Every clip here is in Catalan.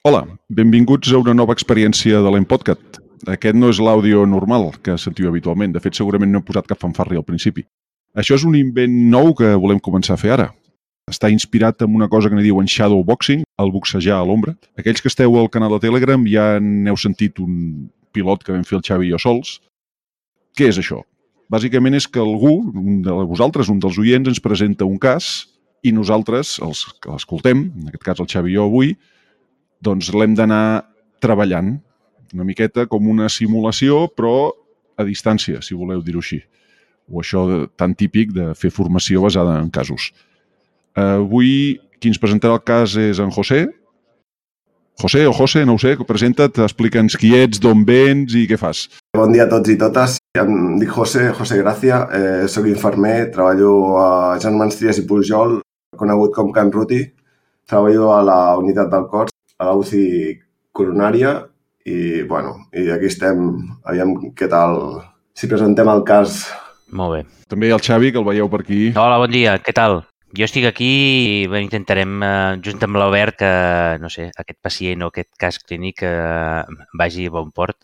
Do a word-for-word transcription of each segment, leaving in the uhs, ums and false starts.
Hola, benvinguts a una nova experiència de l'Empodcast. Aquest no és l'àudio normal que sentiu habitualment. De fet, segurament no hem posat cap fanfarri al principi. Això és un invent nou que volem començar a fer ara. Està inspirat en una cosa que n'hi diuen shadowboxing, el boxejar a l'ombra. Aquells que esteu al canal de Telegram ja n'heu sentit un pilot que vam fer el Xavi i jo sols. Què és això? Bàsicament és que algú, un de vosaltres, un dels oients, ens presenta un cas i nosaltres, els que l'escoltem, en aquest cas el Xavi i jo avui, doncs l'hem d'anar treballant una miqueta com una simulació, però a distància, si voleu dir-ho així. O això de, tan típic de fer formació basada en casos. Avui, qui ens presentarà el cas és en José. José o José, no ho sé, presenta't, explica'ns qui ets, d'on vens i què fas. Bon dia a tots i totes. Em dic José, José Gracia, eh, soc infermer, treballo a Germans Trias i Pujol, conegut com Can Ruti. Treballo a la unitat del cor, a la U C I coronària i, bueno, i aquí estem, aviam què tal, si presentem el cas. Molt bé. També el Xavi, que el veieu per aquí. Hola, bon dia, què tal? Jo estic aquí i bé, intentarem, eh, junt amb l'Albert, que, no sé, aquest pacient o aquest cas clínic eh, vagi a bon port.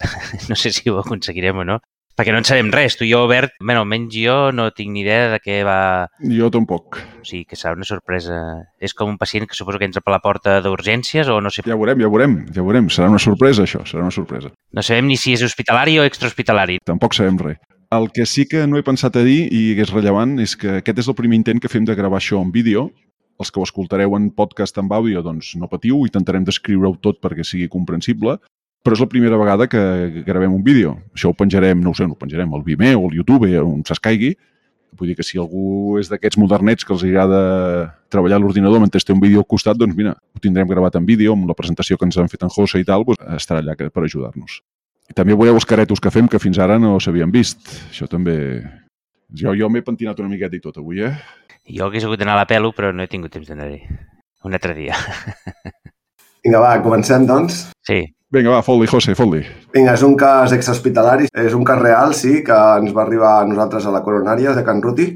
No sé si ho aconseguirem o no. Perquè no en sabem res. Tu i jo, Albert, bé, almenys jo no tinc ni idea de què va... Jo tampoc. O sigui, que serà una sorpresa. És com un pacient que suposo que entra per la porta d'urgències o no sé... Ja veurem, ja veurem, ja veurem. Serà una sorpresa, això, serà una sorpresa. No sabem ni si és hospitalari o extrahospitalari. Tampoc sabem res. El que sí que no he pensat a dir i que és rellevant és que aquest és el primer intent que fem de gravar això en vídeo. Els que ho escoltareu en podcast amb àudio, doncs no patiu, intentarem descriure-ho tot perquè sigui comprensible, però és la primera vegada que gravem un vídeo. Això ho penjarem, no ho sé, no ho penjarem al Vimeo, al YouTube, on s'escaigui. Vull dir que si algú és d'aquests modernets que els agrada treballar a l'ordinador mentre té un vídeo al costat, doncs mira, ho tindrem gravat en vídeo, amb la presentació que ens han fet en José i tal, doncs estarà allà per ajudar-nos. I també veureu els caretos que fem, que fins ara no s'havien vist. Això també... Jo, jo m'he pentinat una miqueta i tot avui, eh? Jo hagués hagut d'anar a la pelo, però no he tingut temps d'anar-hi. Un altre dia. Vinga, va, comencem, doncs. Sí. Vinga, va, fot-li, José, fot-li. Vinga, és un cas extrahospitalari. És un cas real, sí, que ens va arribar a nosaltres a la coronària de Can Ruti.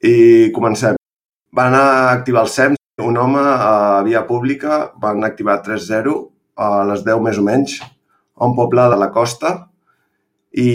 I comencem. Van anar a activar el S E M. Un home a via pública van activar tres zero a les deu més o menys, a un poble de la costa, i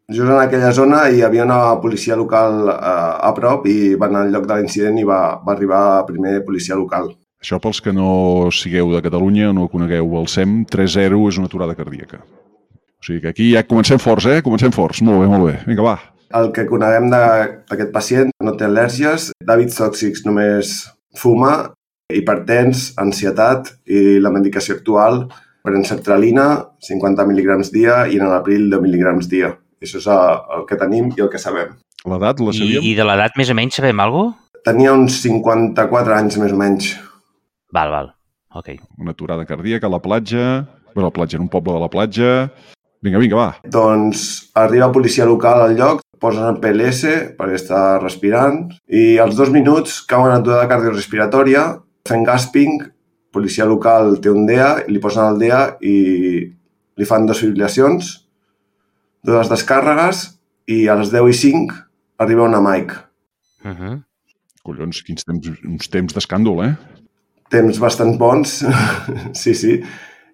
just en aquella zona hi havia una policia local eh, a prop i van al lloc de l'incident i va, va arribar primer policia local. Això pels que no sigueu de Catalunya o no conegueu el S E M, tres zero és una aturada cardíaca. O sigui que aquí ja comencem forts, eh? Comencem forts. Molt bé, molt bé. Vinga, va. El que coneguem d'aquest pacient no té al·lèrgies, d'hàbits tòxics només fuma, hipertens, ansietat i la medicació actual pren sertralina, cinquanta mil·ligrams dia i en l'abril deu mil·ligrams dia. Això és el que tenim i el que sabem. L'edat la sabíem? I, I de l'edat més o menys sabem alguna cosa? Tenia uns cinquanta-quatre anys més o menys. Val, val. Ok. Una aturada cardíaca a la platja. Bé, la platja, en un poble de la platja. Vinga, vinga, va. Doncs arriba policia local al lloc, posen el P L S perquè està respirant i als dos minuts cauen en aturada cardiorrespiratòria, fent gasping. Policia local té un D E A, li posen el D E A i li fan dues fibrilacions, dues descàrregues i a les deu i cinc arriba una mike. Uh -huh. Collons, quins temps, uns temps d'escàndol, eh? Temps bastant bons, sí, sí.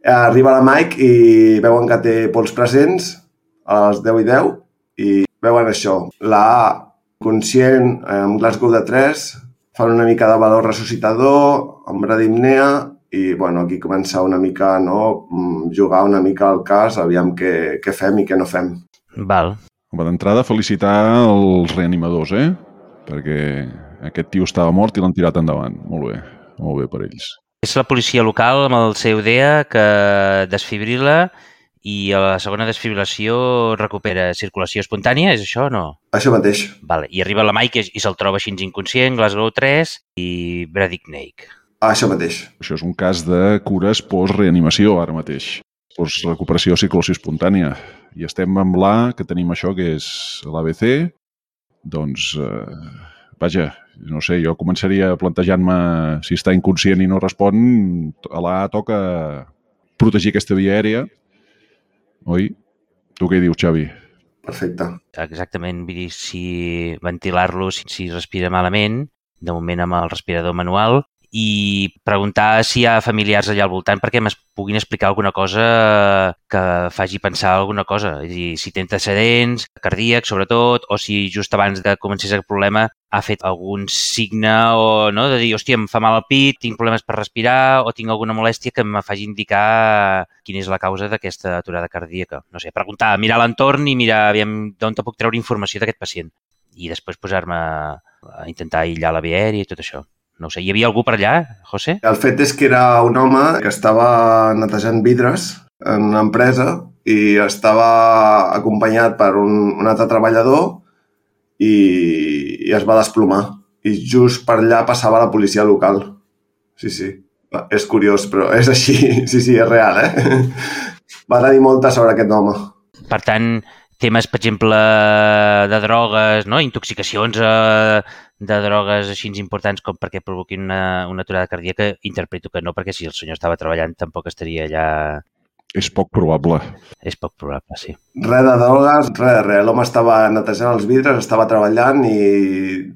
Arriba la mike i veuen que té pols presents a les deu i deu i veuen això. La A, conscient, amb Glasgow de tres, fan una mica de valor ressuscitador, amb bradipnea i bueno, aquí comença una mica no, jugar una mica al cas, aviam què, què fem i què no fem. Val. Home, d'entrada, felicitar els reanimadors, eh? Perquè aquest tio estava mort i l'han tirat endavant. Molt bé, molt bé per ells. És la policia local amb el seu D E A que desfibrila i a la segona desfibrilació recupera circulació espontània, és això o no? Això mateix. Vale. I arriba la Mike i se'l troba així inconscient, Glasgow tres i Bradipneic. Això mateix. Això és un cas de cures post-reanimació, ara mateix. Post-recuperació de circulació espontània. I estem amb l'A, que tenim això, que és l'A B C. Doncs, eh, vaja, no sé, jo començaria plantejant-me si està inconscient i no respon, a l'A toca protegir aquesta via aèria. Oi? Tu què hi dius, Xavi? Perfecte. Exactament, vull dir, si ventilar-lo, si, si respira malament, de moment amb el respirador manual, i preguntar si hi ha familiars allà al voltant perquè es puguin explicar alguna cosa que faci pensar alguna cosa. És a dir, si té antecedents cardíacs, sobretot, o si just abans de començar aquest problema ha fet algun signe o no, de dir, hòstia, em fa mal el pit, tinc problemes per respirar o tinc alguna molèstia que em faci indicar quina és la causa d'aquesta aturada cardíaca. No sé, preguntar, mirar l'entorn i mirar d'on te puc treure informació d'aquest pacient i després posar-me a intentar aïllar la via aèria i tot això. No ho sé, hi havia algú per allà, José? El fet és que era un home que estava netejant vidres en una empresa i estava acompanyat per un, un altre treballador i, i es va desplomar. I just per allà passava la policia local. Sí, sí. És curiós, però és així. Sí, sí, és real, eh? Va tenir molta sort aquest home. Per tant, temes, per exemple, de drogues, no? Intoxicacions eh, de drogues així importants com perquè provoquin una, una aturada cardíaca, interpreto que no, perquè si el senyor estava treballant tampoc estaria allà... És poc probable. És poc probable, sí. Res de drogues, res de res. L'home estava netejant els vidres, estava treballant i,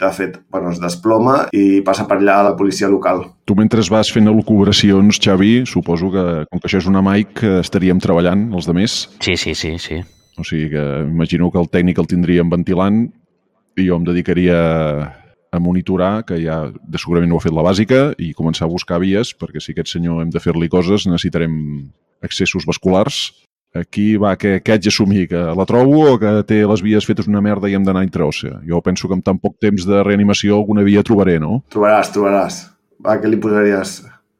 de fet, bueno, es desploma i passa per allà la policia local. Tu, mentre vas fent elucubracions, Xavi, suposo que, com que això és una mic, estaríem treballant, els demés. Sí, sí, sí, sí. O sigui que imagino que el tècnic el tindríem ventilant i jo em dedicaria a monitorar, que ja de segurament no ha fet la bàsica, i començar a buscar vies, perquè si aquest senyor hem de fer-li coses, necessitarem accessos vasculars. Aquí va, que, que haig d'assumir? Que la trobo o que té les vies fetes una merda i hem d'anar intraòssea? Jo penso que amb tan poc temps de reanimació alguna via trobaré, no? Trobaràs, trobaràs. Va, què li posaries,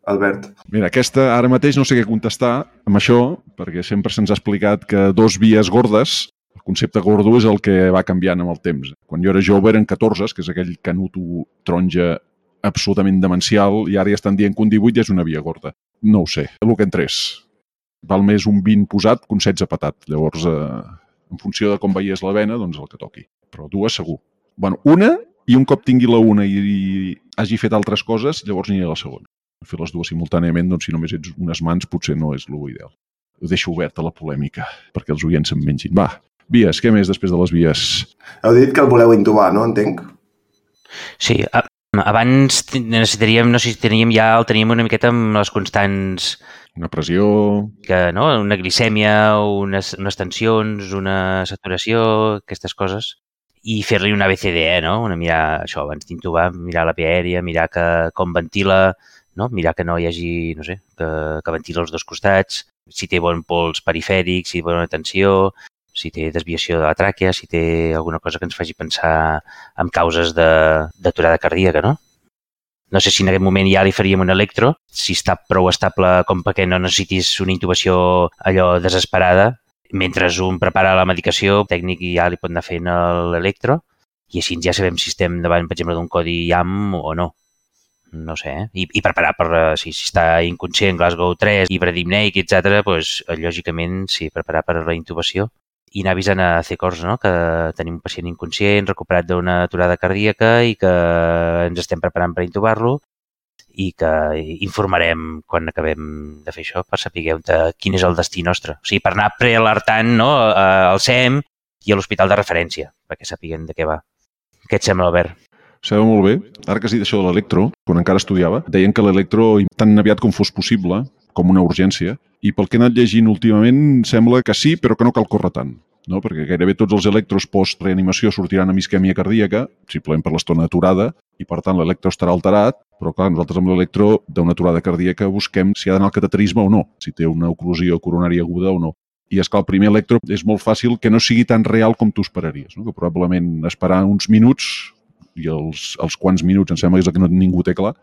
Albert? Mira, aquesta ara mateix no sé què contestar amb això, perquè sempre se'ns ha explicat que dos vies gordes, el concepte gordo és el que va canviant amb el temps. Quan jo era jove eren catorze, que és aquell canuto taronja absolutament demencial, i ara ja estan dient que un divuit ja és una via gorda. No ho sé, el que entrés. Val més un vint posat que un setze patat. Llavors, eh, en funció de com veies la vena, doncs el que toqui. Però dues segur. Bueno, una, i un cop tingui la una i, i hagi fet altres coses, llavors aniré a la segona. Fer les dues simultàniament, doncs si només ets unes mans, potser no és l'ideal. Ho deixo oberta la polèmica, perquè els oients se'n mengin. Va, vies, què més després de les vies? Heu dit que el voleu intubar, no? Entenc. Sí, abans necessitaríem, no sé si teníem ja, el teníem una miqueta amb les constants... Una pressió... Que, no? Una glicèmia, unes, unes tensions, una saturació, aquestes coses. I fer-li una A B C D E, no? Una mirar, això, abans d'intubar, mirar la via aèria, mirar que, com ventila, no? Mirar que no hi hagi, no sé, que, que ventila els dos costats, si té bon pols perifèric, si té bona tensió, si té desviació de la tràquea, si té alguna cosa que ens faci pensar en causes d'aturada cardíaca, no? No sé si en aquest moment ja li faríem un electro, si està prou estable com perquè no necessitis una intubació allò desesperada. Mentre un prepara la medicació, el tècnic ja li pot anar fent l'electro i així ja sabem si estem davant, per exemple, d'un codi I A M o no. No sé, eh? I, i preparar per, si, si està inconscient, Glasgow tres, Ibradimneic, etcètera, doncs, lògicament, sí, preparar per la intubació. I anar avisant a C E C O R S, no? Que tenim un pacient inconscient, recuperat d'una aturada cardíaca i que ens estem preparant per intubar-lo i que informarem quan acabem de fer això per saber quin és el destí nostre. O sigui, per anar prealertant, no? Al S E M i a l'hospital de referència, perquè sapiguen de què va. Què et sembla, Albert? Sabeu molt bé. Ara que has dit això de l'electro, quan encara estudiava, deien que l'electro, tan aviat com fos possible, com una urgència, i pel que he anat llegint últimament sembla que sí, però que no cal córrer tant, no? Perquè gairebé tots els electros post-reanimació sortiran amb isquèmia cardíaca, simplement per l'estona aturada, i per tant l'electro estarà alterat, però clar, nosaltres amb l'electro d'una aturada cardíaca busquem si ha d'anar al cateterisme o no, si té una oclusió coronària aguda o no. I és que el primer electro és molt fàcil que no sigui tan real com tu esperaries, no? Que probablement esperar uns minuts, i els, els quants minuts, em sembla que és el que no ningú té clar,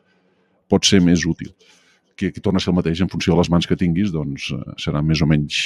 pot ser més útil. Que, que torna a ser el mateix en funció de les mans que tinguis, doncs eh, serà més o menys...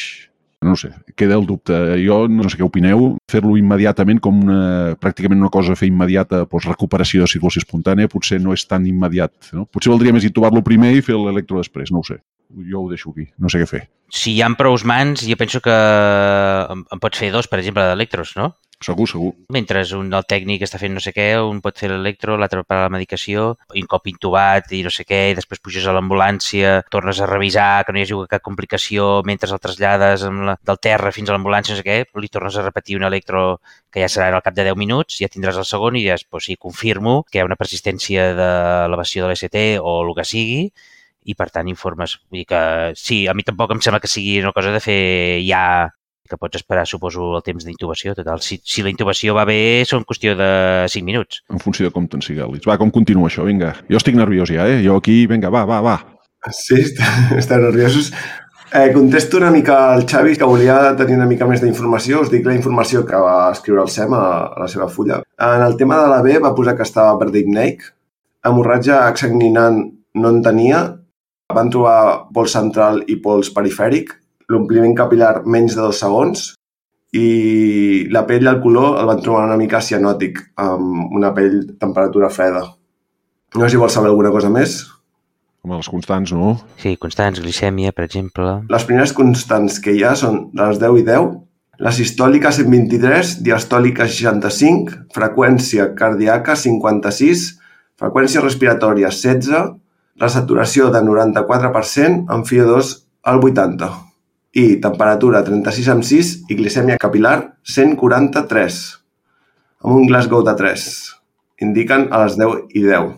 No sé, queda el dubte. Jo no sé què opineu, fer-lo immediatament com una, pràcticament una cosa a fer immediata, doncs recuperació de circulació espontània, potser no és tan immediat, no? Potser valdria més intubar-lo primer i fer l'electro després, no ho sé. Jo ho deixo aquí, no sé què fer. Si hi ha prou mans, jo penso que en pots fer dos, per exemple, d'electros, no? Segur, segur. Mentre un del tècnic està fent no sé què, un pot fer l'electro, l'altre prepara la medicació, un cop intubat i no sé què, i després puges a l'ambulància, tornes a revisar que no hi hagi cap complicació mentre el trasllades amb la, del terra fins a l'ambulància, no sé què, li tornes a repetir un electro que ja serà al cap de deu minuts, ja tindràs el segon i diràs, pues sí, confirmo que hi ha una persistència d'elevació de l'E C T o el que sigui, i per tant informes. Vull dir que sí, a mi tampoc em sembla que sigui una cosa de fer ja, que pots esperar, suposo, el temps d'intubació. Total, si, si la intubació va bé, són qüestió de cinc minuts. En funció de com te'n sigalis. Va, com continua això? Vinga. Jo estic nerviós ja, eh? Jo aquí, vinga, va, va, va. Sí, està, està nerviosos. Eh, contesto una mica al Xavi, que volia tenir una mica més d'informació. Us dic la informació que va escriure el SEM a, a la seva fulla. En el tema de la B va posar que estava per d'ipneic. Hemorràgia exsanguinant no en tenia. Van trobar pols central i pols perifèric. L'ompliment capil·lar menys de dos segons i la pell i el color el van trobar una mica cianòtic, amb una pell temperatura freda. No sé si vols saber alguna cosa més. Home, les constants, no? Sí, constants, glicèmia, per exemple. Les primeres constants que hi ha són de les deu i deu, la sistòlica cent vint-i-tres, diastòlica seixanta-cinc, freqüència cardíaca cinquanta-sis, freqüència respiratòria setze, la saturació de noranta-quatre per cent amb F I O dos al vuitanta i temperatura trenta-sis coma sis i glicèmia capil·lar cent quaranta-tres, amb un Glasgow de tres. Indiquen a les deu i deu.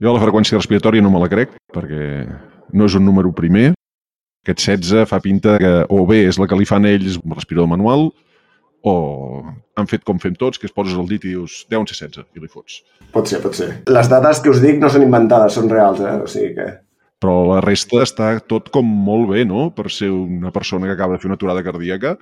Jo la freqüència respiratòria no me la crec, perquè no és un número primer. Aquest setze fa pinta que o bé és la que li fan ells amb el respirador manual o han fet com fem tots, que es poses el dit i dius deuen ser setze i li fots. Pot ser, pot ser. Les dades que us dic no són inventades, són reals, eh? O sigui que... Però la resta està tot com molt bé, no?, per ser una persona que acaba de fer una aturada cardíaca.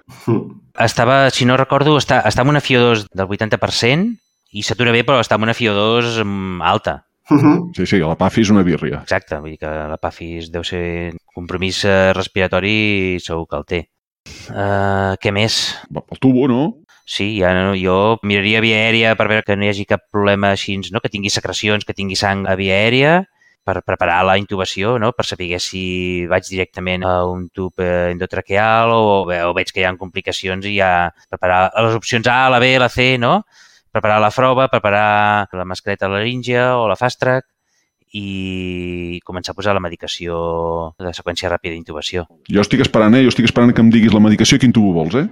Estava, si no recordo, està, està amb una F I O dos del vuitanta per cent i s'atura bé, però està amb una F I O dos alta. Sí, sí, la P A F I és una birria. Exacte, vull dir que la P A F I deu ser compromís respiratori, segur que el té. Uh, què més? Va pel tubo, no? Sí, ja no, jo miraria via aèria per veure que no hi hagi cap problema així, no? Que tingui secrecions, que tingui sang a via aèria, per preparar la intubació, no? Per saber si vaig directament a un tub endotraqueal o, o veig que hi ha complicacions i ja preparar les opcions A, la B, la C, no? Preparar la prova, preparar la mascareta laríngia o la fast track i començar a posar la medicació de seqüència ràpida d'intubació. Jo estic esperant, eh? Jo estic esperant que em diguis la medicació i quin tubo vols, eh?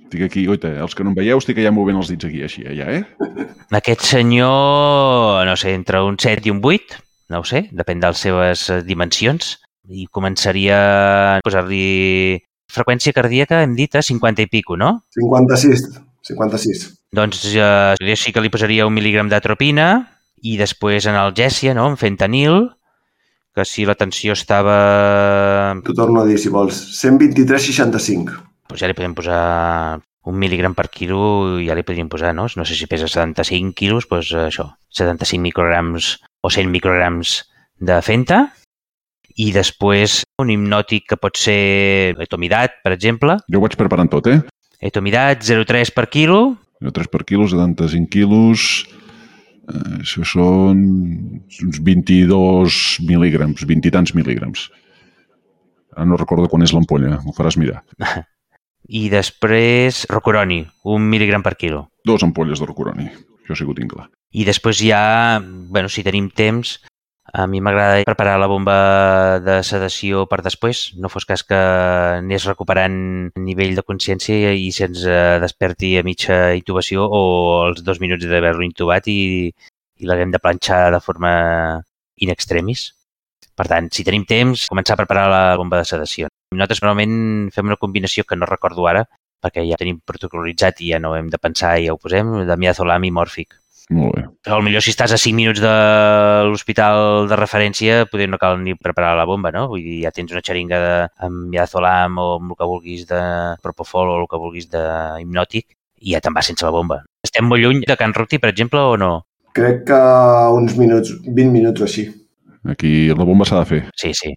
Estic aquí, oita, els que no em veieu estic allà movent els dits aquí, així, allà, eh? Aquest senyor, no sé, entre un set i un vuit, no ho sé, depèn de les seves dimensions, i començaria a posar-li freqüència cardíaca, hem dit, a cinquanta i pico, no? cinquanta-sis, cinquanta-sis. Doncs eh, jo sí que li posaria un mil·lígram d'atropina i després analgèsia, no?, amb fentanil, que si la tensió estava... T'ho torno a dir, si vols. cent vint-i-tres coma seixanta-cinc. Doncs ja li podem posar un mil·lígram per quilo, ja li podríem posar, no? No sé si pesa setanta-cinc quilos, doncs això, setanta-cinc micrograms o cent micrograms de fenta. I després un hipnòtic que pot ser etomidat, per exemple. Jo ho vaig preparant tot, eh? Etomidat, zero coma tres per quilo. zero coma tres per quilo, setanta-cinc quilos... Eh, això són uns vint-i-dos mil·lígrams, vint i tants mil·lígrams. Ara no recordo quan és l'ampolla, m'ho faràs mirar. I després rocuroni, un mil·lígram per quilo. Dos ampolles de rocuroni, això sí que ho tinc clar. I després ja, bueno, si tenim temps, a mi m'agrada preparar la bomba de sedació per després. No fos cas que anés recuperant nivell de consciència i se'ns desperti a mitja intubació o als dos minuts d'haver-lo intubat i, i l'haguem de planxar de forma in extremis. Per tant, si tenim temps, començar a preparar la bomba de sedació. Nosaltres normalment fem una combinació que no recordo ara, perquè ja tenim protocolitzat i ja no hem de pensar i ja ho posem, de midazolam i mòrfic. Molt bé. Però potser si estàs a cinc minuts de l'hospital de referència, potser no cal ni preparar la bomba, no? Vull dir, ja tens una xeringa de, amb midazolam o amb el que vulguis de propofol o el que vulguis de hipnòtic i ja te'n vas sense la bomba. Estem molt lluny de Can Ruti, per exemple, o no? Crec que uns minuts, vint minuts o així. Aquí la bomba s'ha de fer. Sí, sí.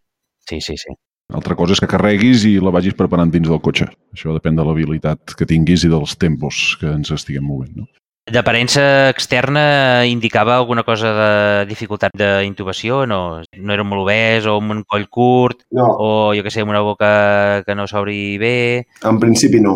Sí, sí, sí. Altra cosa és que carreguis i la vagis preparant dins del cotxe. Això depèn de l'habilitat que tinguis i dels tempos que ens estiguem movent, no? D'aparença externa indicava alguna cosa de dificultat d'intubació o no? No era molt obès o amb un coll curt no. O, jo què sé, amb una boca que no s'obri bé? En principi no.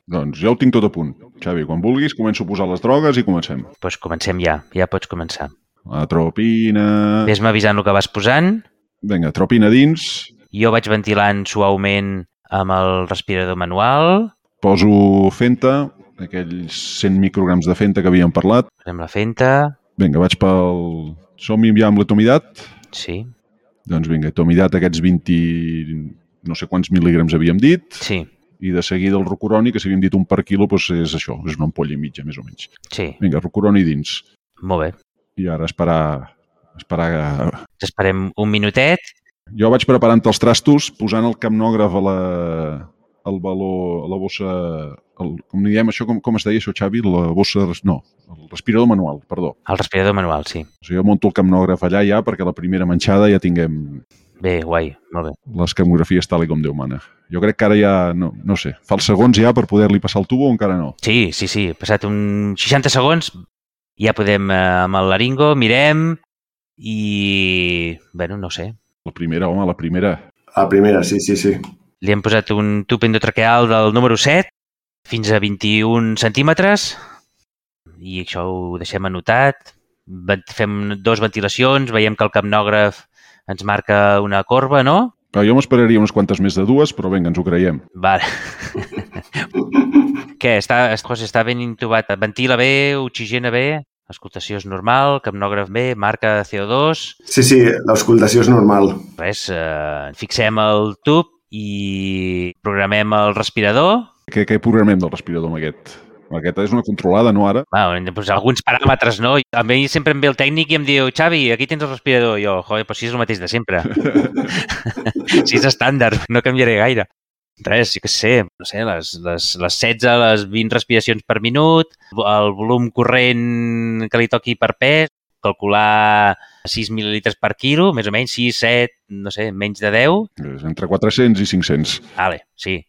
Doncs ja ho tinc tot a punt. Xavi, quan vulguis, començo a posar les drogues i comencem. Doncs pues comencem ja, ja pots començar. Atropina... Ves-me avisant el que vas posant. Vinga, atropina dins. Jo vaig ventilant suaument amb el respirador manual. Poso Fenta, aquells cent micrograms de Fenta que havíem parlat. Posem la Fenta. Vinga, vaig pel... Som-hi ja amb l'atomidat? Sí. Doncs vinga, atomidat aquests vint... no sé quants mil·lígrams havíem dit. Sí. I de seguida el Rocuroni, que si havíem dit un per quilo, doncs és això, és una ampolla i mitja, més o menys. Sí. Vinga, Rocuroni dins. Molt bé. I ara esperar... esperar... Esperem un minutet. Jo vaig preparant els trastos, posant el capnògraf a la... al baló, a la bossa... El, com diem això, com, com es deia això, Xavi? La bossa... No, el respirador manual, perdó. El respirador manual, sí. O sigui, jo monto el capnògraf allà ja perquè la primera manxada ja tinguem... Bé, guai, molt bé. Les capnografies tal i com Déu mana. Jo crec que ara ja, no, no sé, fa els segons ja per poder-li passar el tubo o encara no? Sí, sí, sí. Passat un seixanta segons ja podem eh, amb el laringo, mirem i... Bueno, no sé. La primera, home, la primera. La primera, sí, sí, sí. Li hem posat un tub endotraqueal del número set fins a vint-i-un centímetres i això ho deixem anotat. Fem dos ventilacions, veiem que el capnògraf ens marca una corba, no? Però jo m'esperaria unes quantes més de dues, però vinga, ens ho creiem. Vale. Què? Està, José, està ben intubat? Ventila bé, oxigena bé, escoltació és normal, capnògraf bé, marca C O dos... Sí, sí, l'auscultació és normal. Res, eh, fixem el tub i programem el respirador. Què, què programem del respirador amb aquest? Aquesta és una controlada, no ara? Bueno, hem de posar alguns paràmetres, no? A mi sempre em ve el tècnic i em diu Xavi, aquí tens el respirador. I jo, joder, però si és el mateix de sempre. Si és estàndard, no canviaré gaire. Res, jo què sé, no sé, les, les, les setze, les vint respiracions per minut, el volum corrent que li toqui per pes, calcular sis mil·lilitres per quilo, més o menys, sis, set, no sé, menys de deu. És entre quatre-cents i cinc-cents. Vale, sí.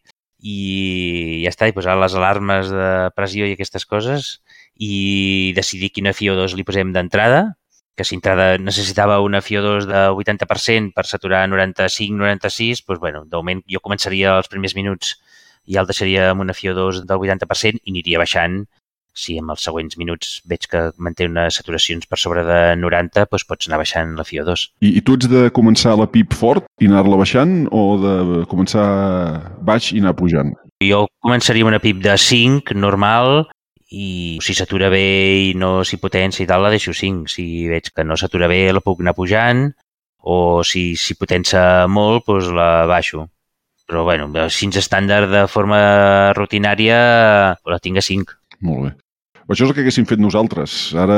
I ja està, i posar les alarmes de pressió i aquestes coses i decidir quina F I O dos li posem d'entrada, que si entrada necessitava una F I O dos de vuitanta per cent per saturar noranta-cinc noranta-sis, doncs, bueno, de moment jo començaria els primers minuts i ja el deixaria amb una F I O dos del vuitanta per cent i aniria baixant. Si en els següents minuts veig que manté unes saturacions per sobre de noranta, doncs pots anar baixant la F I O dos. I, i tu ets de començar la P I P fort i anar-la baixant o de començar baix i anar pujant? Jo començaria amb una P I P de cinc, normal, i si s'atura bé i no s'hi potència i tal, la deixo cinc. Si veig que no s'atura bé, la puc anar pujant, o si s'hi potencia molt, doncs la baixo. Però, bueno, cinc estàndard de forma rutinària, la tinc a cinc. Molt bé. Això és el que haguéssim fet nosaltres. Ara,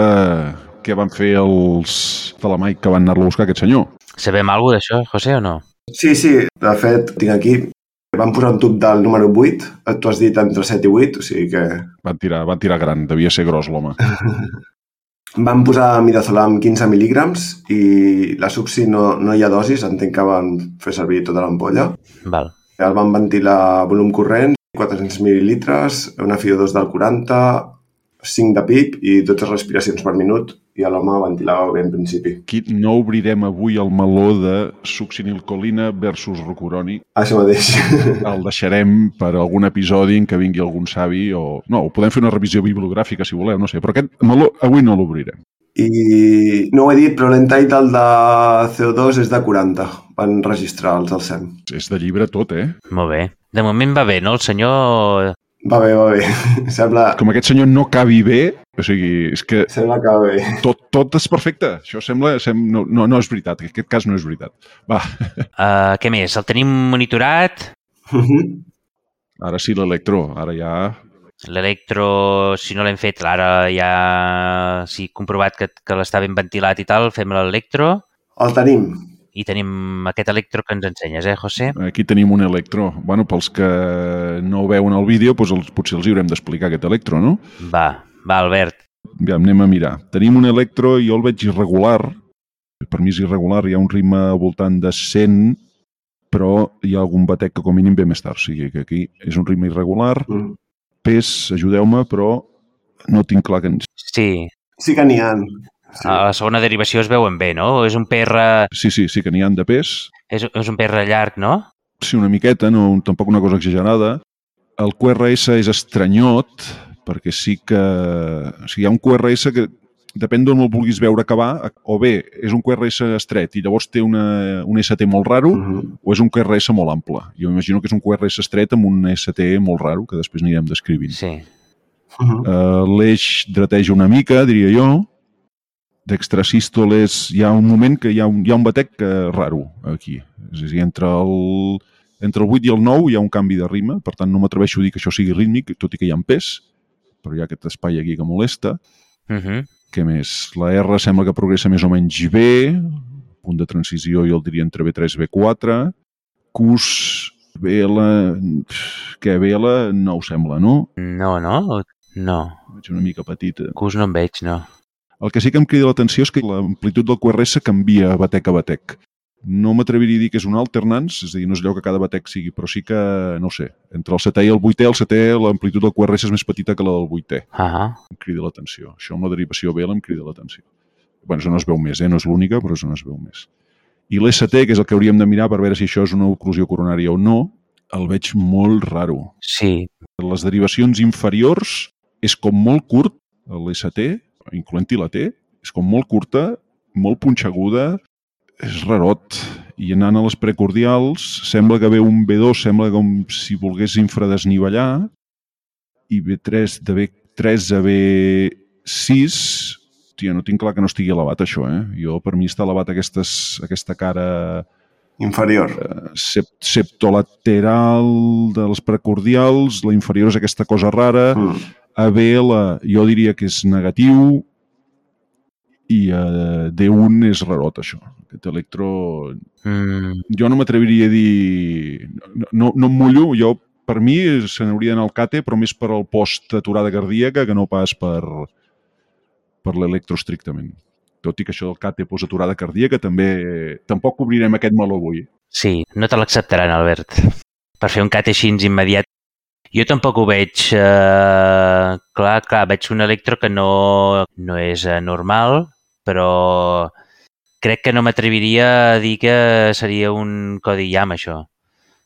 què van fer els Talamaic que van anar-lo a buscar, aquest senyor? Sabem alguna cosa d'això, José, o no? Sí, sí, de fet, tinc aquí. Van posar un tub del número vuit, tu has dit entre set i vuit, o sigui que... Van tirar, van tirar gran, devia ser gros l'home. Van posar midazolam quinze mil·lígrams i la subsi no, no hi ha dosis, entenc que van fer servir tota l'ampolla. Val. El van ventilar a volum corrent, quatre-cents mil·lilitres, una F I O dos del quaranta, cinc de P I P i dotze respiracions per minut i l'home ventilava bé en principi. Aquí no obrirem avui el meló de succinilcolina versus rocuroni. Això mateix. El deixarem per algun episodi en què vingui algun savi o... No, podem fer una revisió bibliogràfica si voleu, no sé, però aquest meló avui no l'obrirem. I no ho he dit, però l'entitle de C O dos és de quaranta. Van registrar els del S E M. És de llibre tot, eh? Molt bé. De moment va bé, no? El senyor... Va bé, va bé. Sembla... Com aquest senyor no cabi bé, o sigui, és que... Sembla que va bé. Tot, tot és perfecte. Això sembla... sembla no, no, no és veritat. En aquest cas no és veritat. Va. Uh, què més? El tenim monitorat? Ara sí, l'electro. Ara ja... L'electro, si no l'hem fet, ara ja... Si he comprovat que, que l'està ben ventilat i tal, fem l'electro. El tenim. I tenim aquest electro que ens ensenyes, eh, José? Aquí tenim un electro. Bueno, pels que no veuen el vídeo, doncs els, potser els hi haurem d'explicar aquest electro, no? Va, va, Albert. Ja, anem a mirar. Tenim un electro, jo el veig irregular. Per mi és irregular, hi ha un ritme al voltant de cent, però hi ha algun batec que com a mínim ve més tard. O sigui que aquí és un ritme irregular. Mm. Pes, ajudeu-me, però no tinc clar que ens... Sí. Sí que n'hi ha. Sí. A la segona derivació es veuen bé, no? És un P R... Sí, sí, sí que n'hi ha de pes. És, és un P R llarg, no? Sí, una miqueta, no, tampoc una cosa exagerada. El Q R S és estranyot, perquè sí que... O sigui, hi ha un Q R S que depèn d'on el vulguis veure acabar, o bé és un Q R S estret i llavors té una, un S T molt raro, uh-huh. o és un Q R S molt ample. Jo m'imagino que és un Q R S estret amb un S T molt raro, que després anirem descrivint. Sí. Uh-huh. Uh, l'eix dreteja una mica, diria jo. D'extrasístoles hi ha un moment que hi ha un, hi ha un batec uh, raro aquí. És a dir, entre el, entre el vuit i el nou hi ha un canvi de rima, per tant no m'atreveixo a dir que això sigui rítmic, tot i que hi ha en pes, però hi ha aquest espai aquí que molesta. Uh-huh. Què més? La R sembla que progressa més o menys bé, punt de transició jo el diria entre B tres i B quatre, Q S, B L, què, B L no ho sembla, no? No, no? No. Veig una mica petita. Q S no en veig, no. El que sí que em crida l'atenció és que l'amplitud del Q R S canvia batec a batec. No m'atreviria a dir que és un alternance, és a dir, no és allò que cada batec sigui, però sí que, no sé, entre el setè i el vuitè, el setè, l'amplitud del Q R S és més petita que la del vuitè. Uh-huh. Em crida l'atenció. Això amb la derivació B L em crida l'atenció. Bé, això no es veu més, eh? No és l'única, però això no es veu més. I l'S T, que és el que hauríem de mirar per veure si això és una oclusió coronària o no, el veig molt raro. Sí. Les derivacions inferiors és com molt curt, l'S T, incloent-hi la T, és com molt curta, molt punxeguda, és rarot. I anant a les precordials, sembla que ve un B dos, sembla com si volgués infradesnivellar, i B tres, de B tres a B sis, tia, no tinc clar que no estigui elevat això, eh? Jo, per mi està elevat aquestes, aquesta cara... Inferior. Eh, sept, septolateral de les precordials, la inferior és aquesta cosa rara, mm. A B L jo diria que és negatiu, i uh, D un és rarot, això. Aquest electro... Mm. Jo no m'atreviria a dir... No, no, no em mullo, jo, per mi, se n'hauria d'anar al C A T E, però més per al post-aturada cardíaca que no pas per, per l'electro estrictament. Tot i que això del C A T E post-aturada cardíaca també... Tampoc cobrirem aquest meló avui. Sí, no te l'acceptaran, Albert. Per fer un C A T E així immediat. Jo tampoc ho veig. Eh, clar, clar, veig un electro que no, no és normal, però crec que no m'atreviria a dir que seria un codi I A M, això.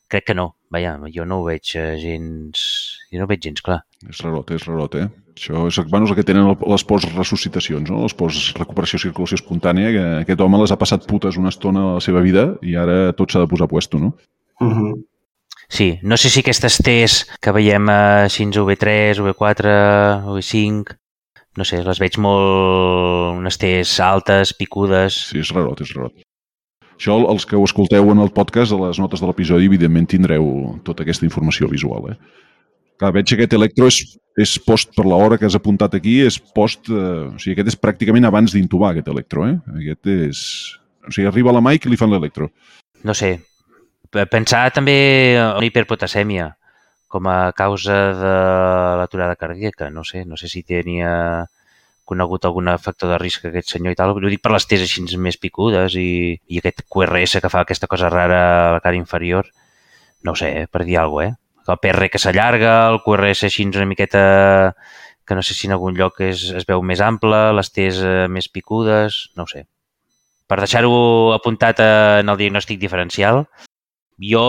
Crec que no. Vaja, jo no ho veig gens... Jo no ho veig gens clar. És rarot, és rarot, eh? Això és, bueno, és el que tenen les post-ressuscitacions, no? Les post-recuperació circulació espontània, que aquest home les ha passat putes una estona a la seva vida i ara tot s'ha de posar a puesto, no? Uh-huh. Sí, no sé si aquestes T's que veiem així o B tres, o B quatre, o B cinc, no sé, les veig molt... unes T's altes, picudes... Sí, és rarot, és rarot. Això, els que ho escolteu en el podcast, a les notes de l'episodi, evidentment tindreu tota aquesta informació visual, eh? Clar, veig que aquest electro és, és post, per l'hora que has apuntat aquí, és post... Eh, o sigui, aquest és pràcticament abans d'intubar, aquest electro, eh? Aquest és... O sigui, arriba a la Mike i li fan l'electro. No sé. Pensar també en hiperpotasèmia com a causa de l'aturada cardíaca. No sé, no sé si tenia conegut algun factor de risc aquest senyor i tal. Ho dic per les T's així més picudes i, i aquest Q R S que fa aquesta cosa rara a la cara inferior. No sé, per dir alguna cosa, eh? El P R que s'allarga, el Q R S així una miqueta que no sé si en algun lloc es, es veu més ample, les T's més picudes, no ho sé. Per deixar-ho apuntat en el diagnòstic diferencial, jo,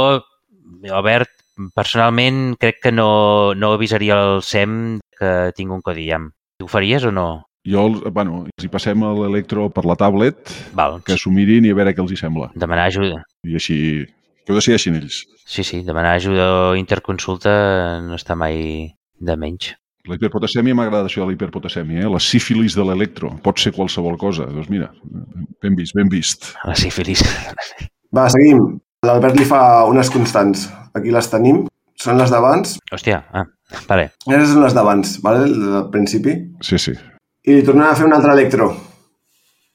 Albert, personalment crec que no, no avisaria el S E M que tinc un codi I A M. Ho faries o no? Jo, bueno, si passem a l'electro per la tablet, Val. Que s'ho mirin i a veure què els hi sembla. Demanar ajuda. I així, que ho decideixin ells. Sí, sí, demanar ajuda o interconsulta no està mai de menys. La hiperpotasèmia m'agrada això de la hiperpotasèmia, eh? La sífilis de l'electro. Pot ser qualsevol cosa. Doncs mira, ben vist, ben vist. La sífilis. Va, seguim. L'Albert li fa unes constants. Aquí les tenim. Són les d'abans. Hòstia, ah, vale. Aquestes són les d'abans, vale? Del principi. Sí, sí. I li tornem a fer un altre electro.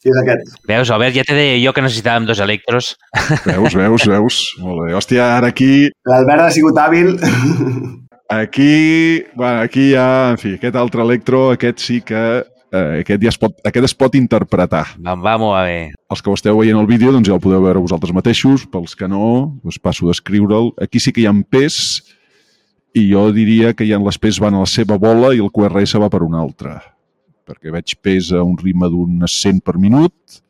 I és aquest. Veus, Albert, ja te deia jo que necessitàvem dos electros. Veus, veus, veus. Molt bé. Hòstia, ara aquí... L'Albert ha sigut hàbil. Aquí, bueno, aquí ja, en fi, aquest altre electro, aquest sí que... Eh, aquest, ja es pot, aquest es pot interpretar. Vamos a ver. Els que ho esteu veient el vídeo, doncs ja el podeu veure vosaltres mateixos. Pels que no, us passo a descriure'l. Aquí sí que hi ha pes i jo diria que hi ha les pes van a la seva bola i el Q R S va per una altra. Perquè veig pes a un ritme d'unes cent per minut,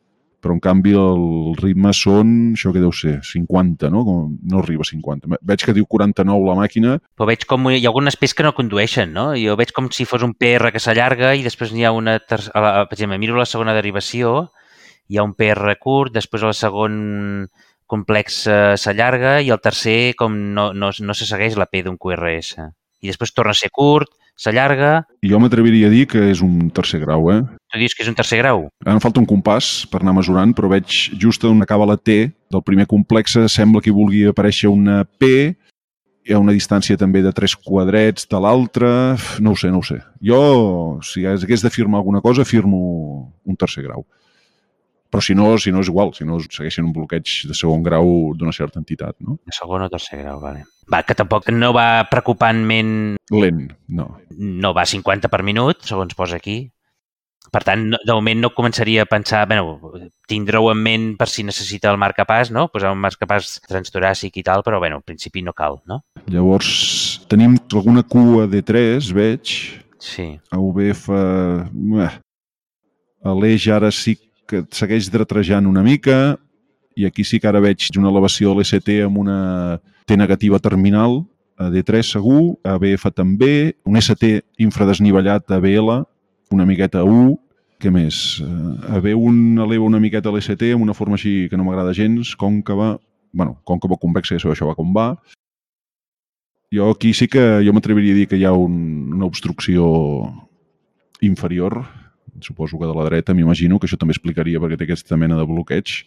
però en canvi el ritme són, això que deu ser, cinquanta, no? Com, no arriba a cinquanta. Veig que diu quaranta-nou la màquina. Però veig com hi ha algunes P Es que no condueixen, no? Jo veig com si fos un P R que s'allarga i després n'hi ha una tercera... Per exemple, miro la segona derivació, hi ha un P R curt, després el segon complex s'allarga i el tercer com no, no, no se segueix la P d'un Q R S. I després torna a ser curt, s'allarga... Jo m'atreviria a dir que és un tercer grau, eh? Tu dius que és un tercer grau? Ara em falta un compàs per anar mesurant, però veig just on acaba la T del primer complex, sembla que hi vulgui aparèixer una P, hi ha una distància també de tres quadrets de l'altre... No ho sé, no ho sé. Jo, si hagués de firmar alguna cosa, firmo un tercer grau. Però si no, si no és igual, si no segueixen un bloqueig de segon grau d'una certa entitat, no? De segon o tercer grau, vale. Va, que tampoc no va preocupantment... Lent, no. No va a cinquanta per minut, segons posa aquí. Per tant, no, de moment no començaria a pensar... Bueno, tindreu en ment per si necessita el marcapàs, no? Posar un marcapàs transtoràcic i tal, però, bueno, al principi no cal, no? Llavors, tenim alguna cua D tres, veig. Sí. A V F... A l'eix ara sí que segueix dretejant una mica i aquí sí que ara veig una elevació de l'S T amb una T negativa terminal, a D tres segur, a B F també, un S T infradesnivellat a B L, una miqueta a U, què més? A B un eleva una miqueta l'S T amb una forma així que no m'agrada gens, còncava, bueno, còncava convexa, ja sabeu això va com va. Jo aquí sí que jo m'atreviria a dir que hi ha un, una obstrucció inferior, suposo que de la dreta, m'imagino, que això també explicaria perquè té aquesta mena de bloqueig.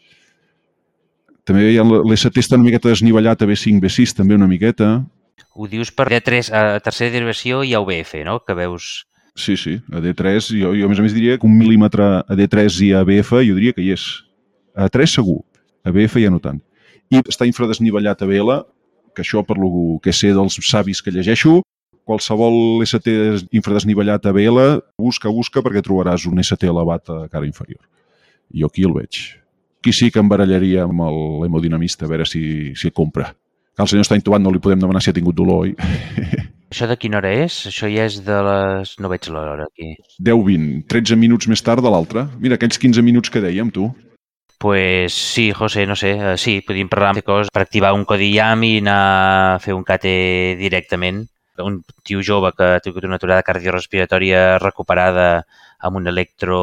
També hi ha l'S T està una miqueta desnivellat a B cinc, B sis, també una miqueta. Ho dius per D tres, a tercera derivació i a U B F, no? Que veus... Sí, sí, a D tres, jo, jo a més a més diria que un mil·límetre a D tres i a B F jo diria que hi és. A tres segur, a B F ja no tant. I està infradesnivellat a B L, que això per lo que sé dels savis que llegeixo, qualsevol S T infradesnivellat a B L, busca, busca, perquè trobaràs un S T elevat a cara inferior. Jo aquí el veig. Aquí sí que em barallaria amb l'hemodinamista, a veure si, si el compra. Que el senyor està intubat, no li podem demanar si ha tingut dolor, oi? Això de quina hora és? Això ja és de les... No veig l'hora aquí. deu vint, tretze minuts més tard de l'altre. Mira, aquells quinze minuts que dèiem, tu. Pues sí, José, no sé, sí, podríem parlar de coses per activar un codi I A M i anar a fer un C A T directament. Un tio jove que ha tingut una aturada cardiorrespiratòria recuperada amb un electro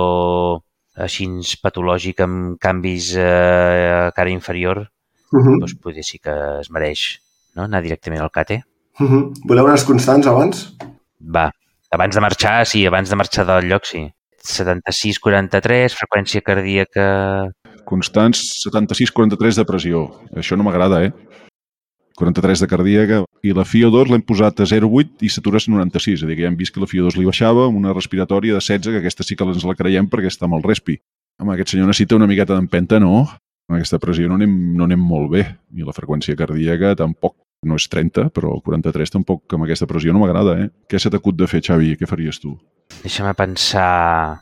així patològic amb canvis a cara inferior, uh -huh. doncs potser sí que es mereix, no? Anar directament al C A T. Uh -huh. Voleu unes constants abans? Va, abans de marxar, sí, abans de marxar del lloc, sí. setanta-sis quaranta-tres, freqüència cardíaca... Constants, setanta-sis quaranta-tres de pressió. Això no m'agrada, eh? quaranta-tres de cardíaca, i la F I O dos l'hem posat a zero coma vuit i satures noranta-sis, és a dir, que ja hem vist que la F I O dos li baixava, amb una respiratòria de setze, que aquesta sí que ens la creiem perquè està amb el respi. Home, aquest senyor necessita una miqueta d'empenta, no? Amb aquesta pressió no anem, no anem molt bé, i la freqüència cardíaca tampoc, no és trenta, però quaranta-tres tampoc, amb aquesta pressió no m'agrada, eh? Què se t'acut de fer, Xavi? Què faries tu? Deixa'm pensar...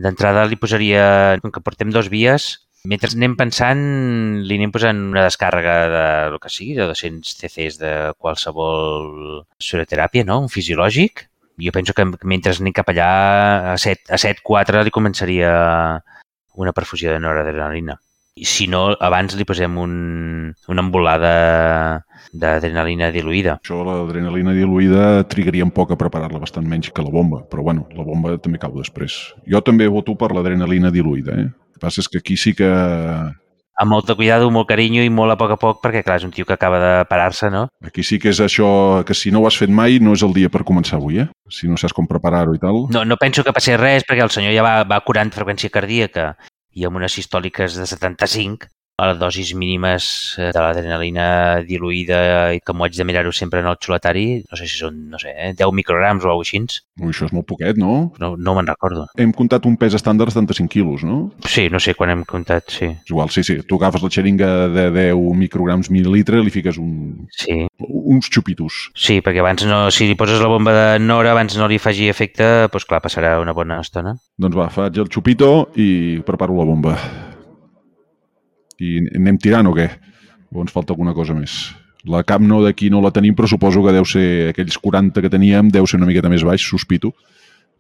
D'entrada li posaria, com que portem dos vies, mentre anem pensant, li anem posant una descàrrega de lo que sigui, de dos-cents cc de qualsevol suroteràpia, no? Un fisiològic. Jo penso que mentre anem cap allà, a set quatre li començaria una perfusió de noradrenalina. I si no, abans li posem un, una embolada d'adrenalina diluïda. Això, l'adrenalina diluïda, trigaria un poc a preparar-la, bastant menys que la bomba, però bueno, la bomba també cau després. Jo també voto per l'adrenalina diluïda, eh? El que passa és que aquí sí que... Amb molt de cuidado, molt carinyo i molt a poc a poc, perquè clar, és un tio que acaba de parar-se, no? Aquí sí que és això que si no ho has fet mai no és el dia per començar avui, eh? Si no saps com preparar-ho i tal. No, no penso que passi res, perquè el senyor ja va, va curant freqüència cardíaca i amb unes sistòliques de setanta-cinc, a les dosis mínimes de l'adrenalina diluïda i que m'ho haig de mirar-ho sempre en el xuletari, no sé si són, no sé, eh, deu micrograms o alguna cosa així. Ui, això és molt poquet, no? No, no me'n recordo. Hem comptat un pes estàndard de setanta-cinc quilos, no? Sí, no sé quan hem comptat, sí. És igual, sí, sí. Tu agafes la xeringa de deu micrograms mil·lilitre, li fiques un... Sí. uns xupitos. Sí, perquè abans no, si li poses la bomba de Nora, abans no li faci efecte, doncs clar, passarà una bona estona. Doncs va, faig el xupito i preparo la bomba. I anem tirant o què? O ens falta alguna cosa més? La cap no d'aquí no la tenim, però suposo que deu ser aquells quaranta que teníem, deu ser una miqueta més baix, sospito,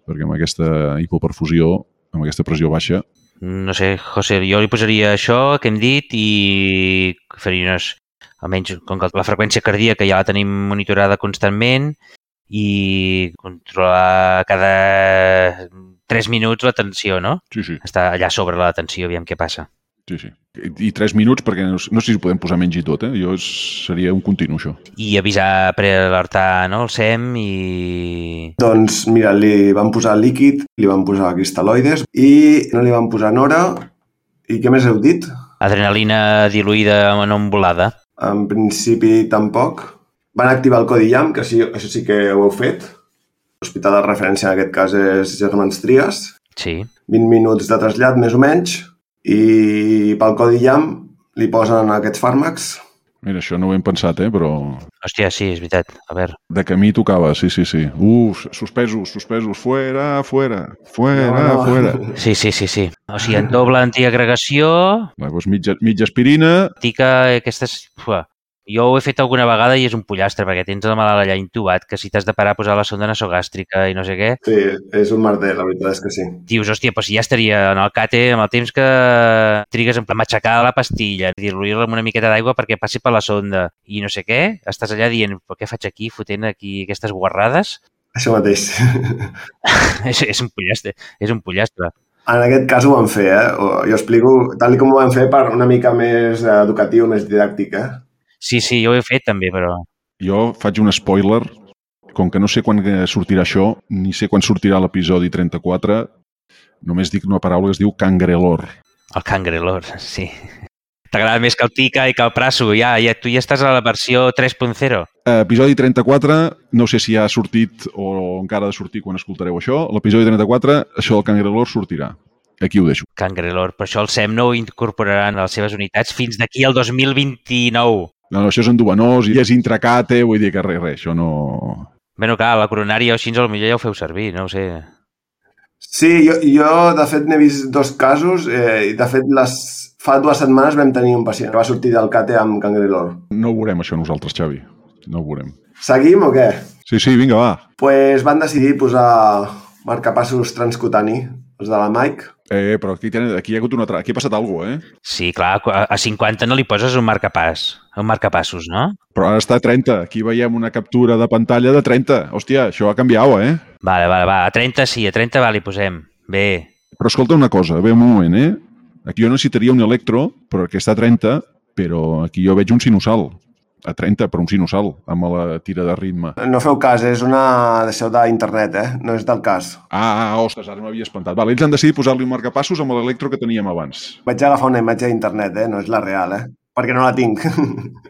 perquè amb aquesta hipoperfusió, amb aquesta pressió baixa... no sé, José, jo li posaria això que hem dit i faria unes, almenys com que la freqüència cardíaca ja la tenim monitorada constantment i controlar cada tres minuts la tensió, no? Sí, sí. Està allà sobre la tensió, aviam què passa. Sí, sí. I tres minuts, perquè no, no sé si podem posar menys i tot, eh? Jo seria un continu, això. I avisar, prealertar, no?, el S E M i... Doncs mira, li van posar líquid, li van posar cristal·loides i no li van posar nora. I què més heu dit? Adrenalina diluïda no embolada. En principi tampoc. Van activar el codi I A M, que sí, això sí que ho heu fet. L'hospital de referència en aquest cas és Germans Trias. Sí. vint minuts de trasllat, més o menys. I pel codi I A M li posen aquests fàrmacs. Mira, això no ho hem pensat, eh, però... Hòstia, sí, és veritat. A veure. De camí tocava, sí, sí, sí. Uf, suspesos, suspesos, fuera, fuera, fuera, No, no. fuera. Sí, sí, sí, sí. O sigui, en doble antiagregació, Va, doncs mitja, mitja aspirina. tica aquestes... Ua. Jo ho he fet alguna vegada i és un pollastre, perquè tens el malalt allà intubat, que si t'has de parar a posar la sonda nasogàstrica i no sé què, Sí, és un merder, la veritat és que sí. dius, hòstia, però si ja estaria en el càter amb el temps que trigues en matxacar la pastilla, diluir-la amb una miqueta d'aigua perquè passi per la sonda i no sé què, estàs allà dient, però què faig aquí, fotent aquí aquestes guarrades? Això mateix. és, és un pollastre, és un pollastre. En aquest cas ho van fer, eh? Jo explico tal com ho van fer per una mica més educatiu, més didàctic, eh? Sí, sí, jo ho he fet també, però... Jo faig un spoiler. Com que no sé quan sortirà això, ni sé quan sortirà l'episodi trenta-quatre, només dic una paraula que es diu cangrelor. El cangrelor, sí. T'agrada més que el tica i que el prasso. Ja, ja, tu ja estàs a la versió tres punt zero. Episodi trenta-quatre, no sé si ja ha sortit o encara ha de sortir quan escoltareu això. L'episodi trenta-quatre, això del cangrelor sortirà. Aquí ho deixo. Cangrelor, però això el S E M no ho incorporaran a les seves unitats fins d'aquí al dos mil vint-i-nou. No, no, això és endovenós i és intracate, vull dir que res, res, això no... Bé, clar, la coronària o així, potser ja ho feu servir, no ho sé. Sí, jo, jo de fet n'he vist dos casos eh, i de fet les, fa dues setmanes vam tenir un pacient que va sortir del cate amb cangrelor. No ho veurem això nosaltres, Xavi, no ho veurem. Seguim o què? Sí, sí, vinga, va. Pues van decidir posar marcapassos transcutani, els de la Mike. Eh, però aquí, ten, aquí hi ha hagut una... Tra... Aquí ha passat alguna cosa, eh? Sí, clar, a cinquanta no li poses un marcapàs, un marcapassos, no? Però ara està a trenta. Aquí veiem una captura de pantalla de trenta. Hòstia, això ha canviat, eh? Vale, vale, va. A trenta sí, a trenta va, li posem. Bé. Però escolta una cosa, bé, un moment, eh? Aquí jo necessitaria un electro, però que està a trenta, però aquí jo veig un sinusal. A trenta, però un sinusal, amb la tira de ritme. No feu cas, és una... Deixeu d'internet, eh? No és del cas. Ah, ah, ostres, ara m'havia espantat. Vale, ells han decidit posar-li un marcapassos amb l'electro que teníem abans. Vaig agafar una imatge d'internet, eh? No és la real, eh? Perquè no la tinc.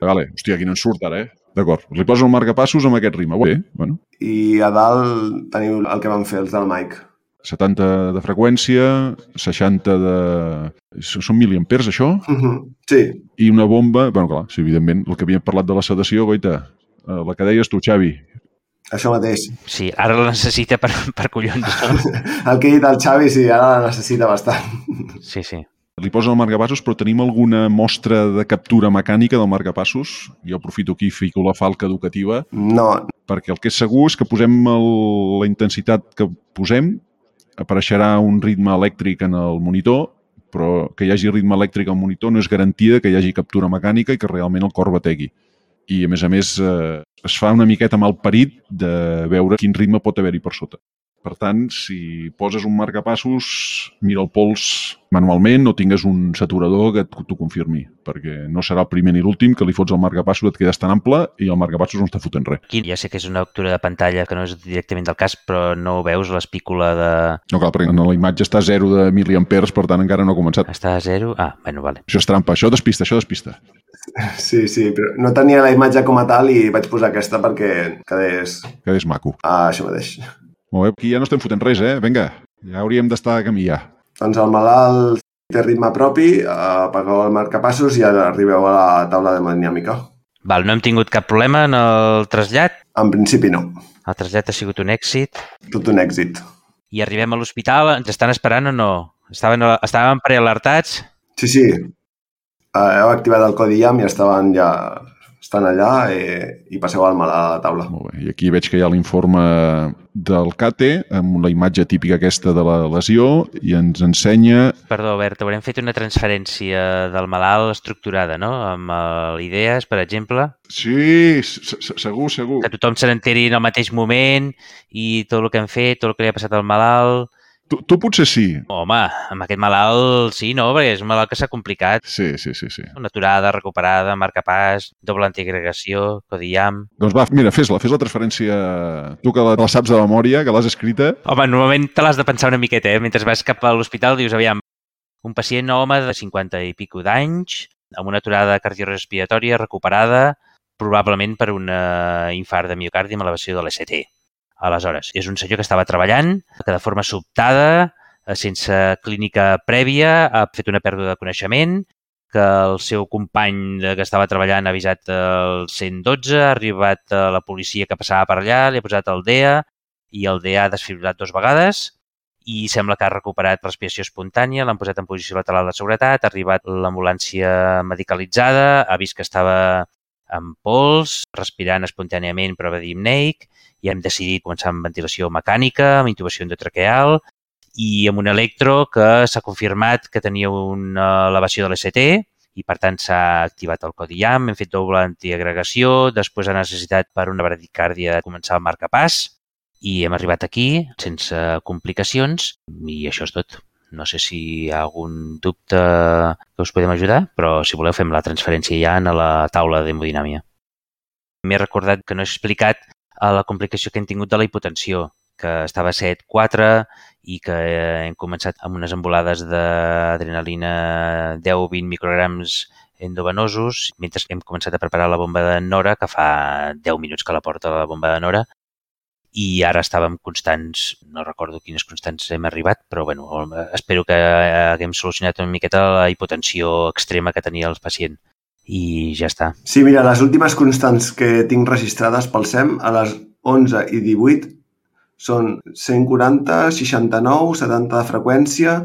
Vale, hòstia, aquí no ens surt ara, eh? D'acord, li poso un marcapassos amb aquest ritme. Bé, bueno. I a dalt teniu el que van fer els del Mike. setanta de freqüència, seixanta de... Són miliamperes, això? Sí. I una bomba... Bueno, clar, sí, evidentment, el que havíem parlat de la sedació, goita, la que deies tu, Xavi. Això mateix. Sí, ara la necessita per, per collons, no? El que he dit al Xavi, sí, ara la necessita bastant. Sí, sí. Li posen el marcapassos, però tenim alguna mostra de captura mecànica del marcapassos? Jo aprofito aquí i fico la falca educativa. No. Perquè el que és segur és que posem el, la intensitat que posem, apareixerà un ritme elèctric en el monitor, però que hi hagi ritme elèctric al monitor no és garantia que hi hagi captura mecànica i que realment el cor bategui. I, a més a més, eh, es fa una miqueta malparit de veure quin ritme pot haver-hi per sota. Per tant, si poses un marcapassos, mira el pols manualment o tingues un saturador que t'ho confirmi, perquè no serà el primer ni l'últim que li fots el marcapassos, et quedes tan ample i el marcapassos no està fotent res. Aquí ja sé que és una captura de pantalla que no és directament del cas, però no veus l'espícula de... No, clar, perquè en la imatge està a zero de miliamperes, per tant encara no ha començat. Està a zero? Ah, bueno, vale. Això és trampa, això despista, això despista. Sí, sí, però no tenia la imatge com a tal i vaig posar aquesta perquè quedés... Quedés maco. Ah, això mateix. Molt bé, aquí ja no estem fotent res, eh? Vinga, ja hauríem d'estar a camí ja. Doncs el malalt té ritme propi, apagueu el marcapassos i ara arribeu a la taula d'hemodinàmica. Val, no hem tingut cap problema en el trasllat? En principi no. El trasllat ha sigut un èxit? Tot un èxit. I arribem a l'hospital, ens estan esperant o no? Estaven, estaven prealertats? Sí, sí. Heu activat el codi I A M i estaven ja estan allà eh, i passeu el malalt a la taula. Molt bé. I aquí veig que hi ha l'informe del CATE amb la imatge típica aquesta de la lesió i ens ensenya... Perdó, Albert, haurem fet una transferència del malalt estructurada, no? Amb uh, idees, per exemple. Sí, segur, segur. Que tothom se n'enteri en el mateix moment i tot el que hem fet, tot el que li ha passat al malalt... Tu, tu potser sí. Home, amb aquest malalt sí, no? Perquè és un malalt que s'ha complicat. Sí, sí, sí, sí. Una aturada, recuperada, marcapàs, doble antiagregació, codi I A M... Doncs va, mira, fes-la, fes la transferència. Tu que la, la saps de memòria, que l'has escrita. Home, normalment te l'has de pensar una miqueta, eh? Mentre vas cap a l'hospital dius, aviam, un pacient home de cinquanta i pico d'anys, amb una aturada cardiorespiratòria recuperada, probablement per un infart de miocardi amb elevació de l'E C T. Aleshores, és un senyor que estava treballant, que de forma sobtada, sense clínica prèvia, ha fet una pèrdua de coneixement, que el seu company que estava treballant ha avisat el cent dotze, ha arribat la policia que passava per allà, li ha posat el D E A i el D E A ha desfibrilat dues vegades i sembla que ha recuperat respiració espontània, l'han posat en posició lateral de seguretat, ha arribat l'ambulància medicalitzada, ha vist que estava amb pols, respirant espontàniament prova d'hipneic, i hem decidit començar amb ventilació mecànica, amb intubació endotraqueal i amb un electro que s'ha confirmat que tenia una elevació de l'E C T i, per tant, s'ha activat el codi I A M, hem fet doble antiagregació, després ha necessitat per una bradicàrdia començar el marcapàs i hem arribat aquí sense complicacions i això és tot. No sé si hi ha algun dubte que us podem ajudar, però si voleu fem la transferència ja a la taula d'hemodinàmia. M'he recordat que no he explicat la complicació que hem tingut de la hipotensió, que estava a set coma quatre i que hem començat amb unes embolades d'adrenalina deu a vint micrograms endovenosos, mentre hem començat a preparar la bomba de Nora, que fa deu minuts que la porta la bomba de Nora, i ara estàvem constants, no recordo quines constants hem arribat, però bueno, espero que haguem solucionat una miqueta la hipotensió extrema que tenia el pacient. I ja està. Sí, mira, les últimes constants que tinc registrades pel S E M a les onze i divuit són cent quaranta, seixanta-nou, setanta de freqüència,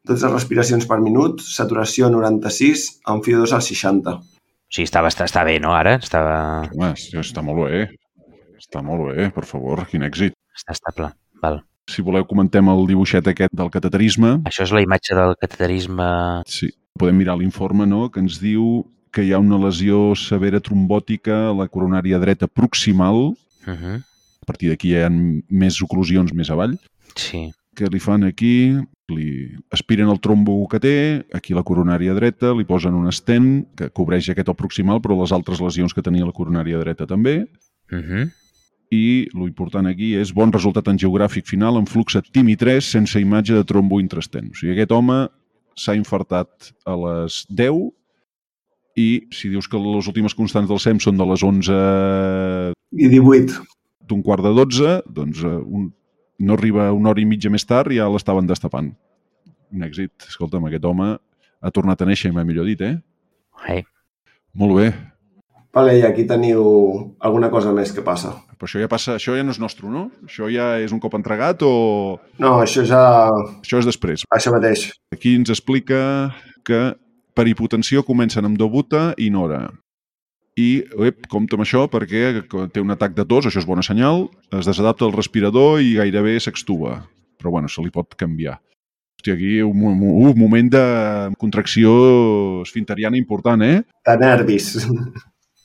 dotze respiracions per minut, saturació noranta-sis, amb F I O dos al seixanta. O sigui, està, està, està bé, no, ara? Estava... Home, està molt bé. Està molt bé, per favor, quin èxit. Està estable, val. Si voleu, comentem el dibuixet aquest del cateterisme. Això és la imatge del cateterisme... Sí, podem mirar l'informe, no?, que ens diu que hi ha una lesió severa trombòtica a la coronària dreta proximal. Uh-huh. A partir d'aquí hi ha més oclusions més avall. Sí. Que li fan aquí, li aspiren el trombo que té, aquí la coronària dreta, li posen un estent que cobreix aquest o proximal, però les altres lesions que tenia la coronària dreta també. Uh-huh. I l'important aquí és bon resultat angiogràfic final amb flux TIMI tres sense imatge de trombo intraestent. O sigui, aquest home s'ha infartat a les deu i si dius que les últimes constants del S E M són de les onze... I divuit. D'un quart de dotze, doncs un, no arriba una hora i mitja més tard i ja l'estaven destapant. Un èxit. Escolta'm, aquest home ha tornat a néixer, m'ha millor dit, eh? Hey. Molt bé. Vale, i aquí teniu alguna cosa més que passa. Però això ja passa, això ja no és nostre, no? Això ja és un cop entregat o... No, això ja... Això és després. Això mateix. Aquí ens explica que per hipotensió comencen amb dobuta i Nora. I, ep, compta amb això perquè té un atac de tos, això és bona senyal, es desadapta el respirador i gairebé s'extuba. Però, bueno, se li pot canviar. Hòstia, aquí un, un, un moment de contracció esfinteriana important, eh? De nervis.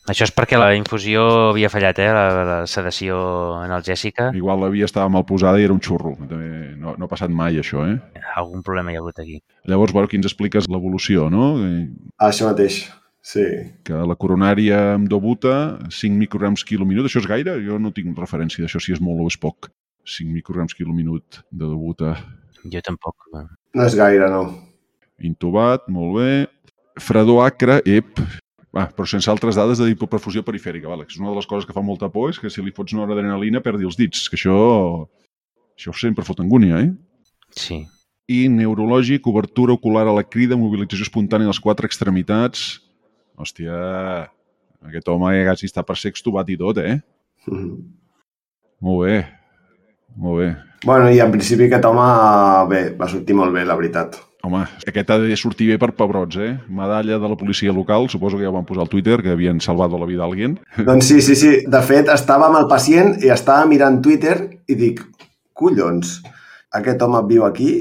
Això és perquè la infusió havia fallat, eh? La, la sedació analgèsica. Igual l'havia estava mal posada i era un xurro. També no, no ha passat mai, això, eh? Algun problema hi ha hagut aquí. Llavors, bueno, aquí ens expliques l'evolució, no? Això mateix, sí. Que la coronària amb dobuta, cinc micrograms quilominut, això és gaire? Jo no tinc referència d'això, si és molt o és poc. cinc micrograms quilominut de dobuta. Jo tampoc. No és gaire, no. Intubat, molt bé. Fredor acre, ep. Ah, però sense altres dades de hipoperfusió perifèrica. Vale. És una de les coses que fa molta por, és que si li fots una adrenalina perdi els dits, que això, això sempre fot angúnia, eh? Sí. I neurològic, obertura ocular a la crida, mobilització espontània a les quatre extremitats. Hòstia, aquest home ja quasi està per ser extubat i tot, eh? Mm-hmm. Molt bé, molt bé. Bueno, i en principi aquest home, bé, va sortir molt bé, la veritat. Home, aquest ha de sortir bé per pebrots, eh? Medalla de la policia local, suposo que ja ho van posar al Twitter, que havien salvat la vida d'algú. Doncs sí, sí, sí. De fet, estava amb el pacient i estava mirant Twitter i dic, collons, aquest home viu aquí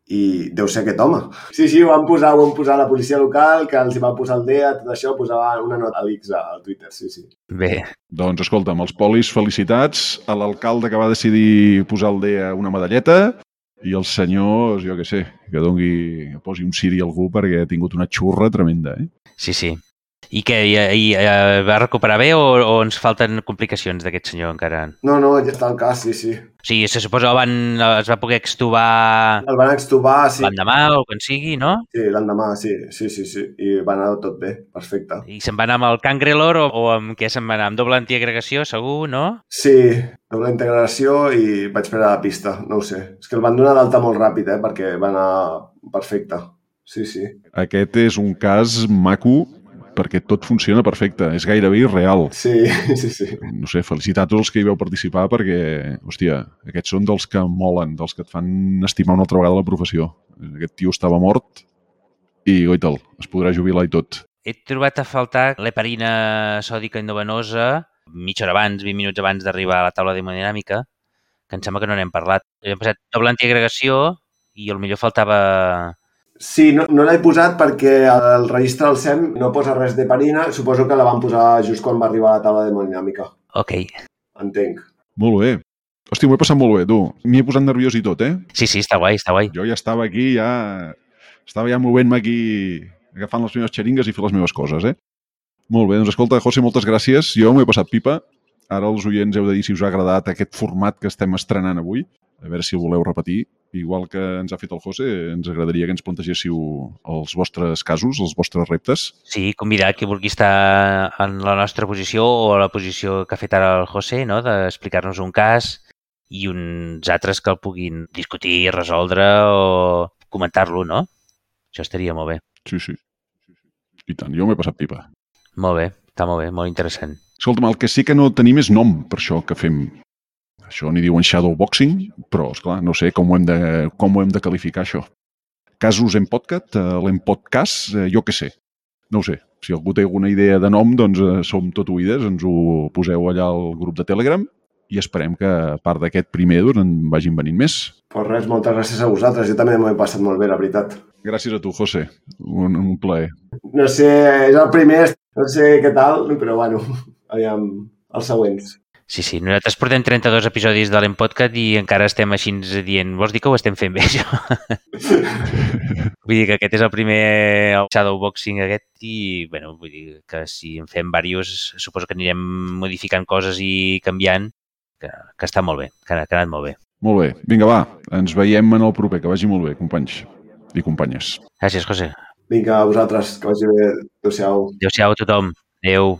i deu ser aquest home. Sí, sí, ho van posar, ho van posar a la policia local, que els hi va posar el D E A, tot això, posava una nota a l'X al Twitter, sí, sí. Bé. Doncs escolta'm, els polis, felicitats a l'alcalde que va decidir posar al D E A una medalleta i els senyors, jo què sé, que dongui, que posi un ciri a algú perquè ha tingut una xurra tremenda, eh? Sí, sí. I què, i, i uh, va recuperar bé o, o ens falten complicacions d'aquest senyor encara? No, no, ja està el cas, sí, sí. O sigui, se suposa que van, es va poder extubar... El van extubar, sí. L'endemà o quan sigui, no? Sí, l'endemà, sí, sí, sí, sí. I va anar tot bé, perfecte. I se'n va anar amb el Cangrelor o, o amb què se'n va anar? Amb doble antiagregació, segur, no? Sí, doble integració i vaig perdre la pista, no ho sé. És que el van donar d'alta molt ràpid, eh, perquè va anar perfecte. Sí, sí. Aquest és un cas maco perquè tot funciona perfecte, és gairebé irreal. Sí, sí, sí. No sé, felicitar a tots els que hi veu participar perquè, hòstia, aquests són dels que molen, dels que et fan estimar una altra vegada la professió. Aquest tio estava mort i, goita'l, es podrà jubilar i tot. He trobat a faltar l'heparina sòdica endovenosa mitja hora abans, vint minuts abans d'arribar a la taula d'hemodinàmica, que em sembla que no n'hem parlat. Hem passat doble antiagregació i potser faltava... Sí, no, no l'he posat perquè el registre del S E M no posa res d'heparina. Suposo que la van posar just quan va arribar a la taula d'hemodinàmica. Ok. Entenc. Molt bé. Hòstia, m'ho he passat molt bé, tu. M'hi he posat nerviós i tot, eh? Sí, sí, està guai, està guai. Jo ja estava aquí, ja... Estava ja movent-me aquí, agafant les meves xeringues i fer les meves coses, eh? Molt bé, doncs escolta, José, moltes gràcies. Jo m'ho he passat pipa. Ara els oients heu de dir si us ha agradat aquest format que estem estrenant avui. A veure si el voleu repetir. Igual que ens ha fet el José, ens agradaria que ens plantegéssiu els vostres casos, els vostres reptes. Sí, convidar qui vulgui estar en la nostra posició o a la posició que ha fet ara el José, no? D'explicar-nos un cas i uns altres que el puguin discutir, resoldre o comentar-lo, no? Això estaria molt bé. Sí, sí. I tant, jo m'he passat pipa. Molt bé, està molt bé, molt interessant. Escolta'm, el que sí que no tenim és nom per això que fem. Això n'hi diuen shadowboxing, però, esclar, no sé com ho hem de, com ho hem de qualificar, això. Casos en podcast, en podcast, jo què sé. No ho sé. Si algú té alguna idea de nom, doncs som tot oïdes, ens ho poseu allà al grup de Telegram i esperem que, a part d'aquest primer, doncs, en vagin venint més. Pues res, moltes gràcies a vosaltres. Jo també m'ho he passat molt bé, la veritat. Gràcies a tu, José. Un, un plaer. No sé, és el primer, no sé què tal, però bueno, aviam, els següents. Sí, sí, nosaltres portem trenta-dos episodis de l'Empodcast i encara estem així dient, vols dir que ho estem fent bé, això? Vull dir que aquest és el primer shadowboxing aquest i, bueno, vull dir que si en fem diversos, suposo que anirem modificant coses i canviant, que, que està molt bé, que ha, que ha anat molt bé. Molt bé. Vinga, va, ens veiem en el proper, que vagi molt bé, companys i companyes. Gràcies, José. Vinga, a vosaltres, que vagi bé. Adéu-siau. Adéu-siau a tothom. Adéu.